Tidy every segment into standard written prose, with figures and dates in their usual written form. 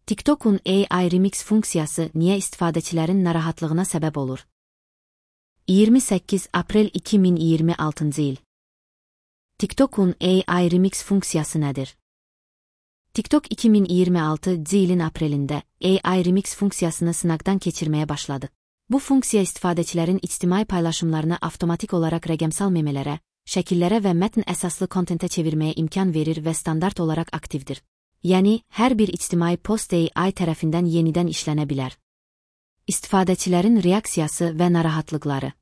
TikTok'un AI Remix funksiyası niyə istifadəçilərin narahatlığına səbəb olur? 28 aprel 2026 il. TikTok'un AI Remix funksiyası nədir? TikTok 2026 ilin aprelində AI Remix funksiyasını sınaqdan keçirməyə başladı. Bu funksiya istifadəçilərin ictimai paylaşımlarını avtomatik olaraq rəqəmsal memelərə, şəkillərə və mətn əsaslı kontentə çevirməyə imkan verir və standart olaraq aktivdir. Yəni, hər bir ictimai post AI tərəfindən yenidən işlənə bilər. İstifadəçilərin reaksiyası və narahatlıqları.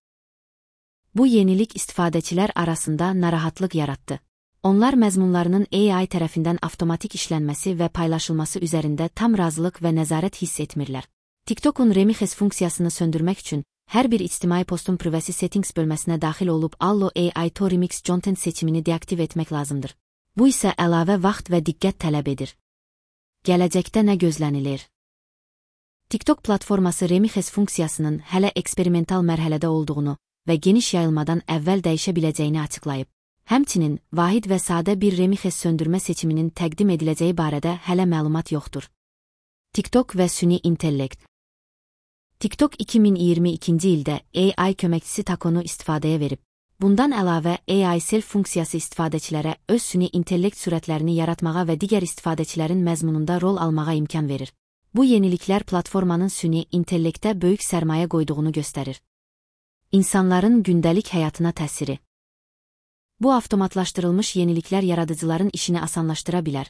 Bu yenilik istifadəçilər arasında narahatlıq yaratdı. Onlar məzmunlarının AI tərəfindən avtomatik işlənməsi və paylaşılması üzərində tam razılıq və nəzarət hiss etmirlər. TikTok'un Remix funksiyasını söndürmək üçün hər bir ictimai postun privacy settings bölməsinə daxil olub Allo AI to Remix Content seçimini deaktiv etmək lazımdır. Bu isə əlavə vaxt və diqqət tələb edir. Gələcəkdə nə gözlənilir? TikTok platforması Remix funksiyasının hələ eksperimental mərhələdə olduğunu və geniş yayılmadan əvvəl dəyişə biləcəyini açıqlayıb. Həmçinin, vahid və sadə bir Remix söndürmə seçiminin təqdim ediləcəyi barədə hələ məlumat yoxdur. TikTok və süni intellekt. TikTok 2022 ildə AI köməkçisi Takonu istifadəyə verib. Bundan əlavə, AI Self funksiyası istifadəçilərə öz süni intellekt sürətlərini yaratmağa və digər istifadəçilərin məzmununda rol almağa imkan verir. Bu yeniliklər platformanın süni intellektə böyük sərmayə qoyduğunu göstərir. İnsanların gündəlik həyatına təsiri. Bu avtomatlaşdırılmış yeniliklər yaradıcıların işini asanlaşdıra bilər,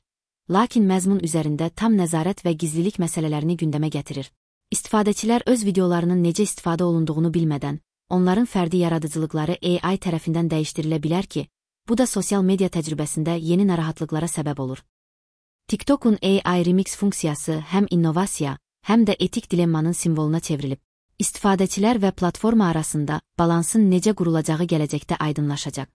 lakin məzmun üzərində tam nəzarət və gizlilik məsələlərini gündəmə gətirir. İstifadəçilər öz videolarının necə istifadə olunduğunu bilmədən, onların fərdi yaradıcılıqları AI tərəfindən dəyişdirilə bilər ki, bu da sosial media təcrübəsində yeni narahatlıqlara səbəb olur. TikTok'un AI Remix funksiyası həm innovasiya, həm də etik dilemmanın simvoluna çevrilib. İstifadəçilər və platforma arasında balansın necə qurulacağı gələcəkdə aydınlaşacaq.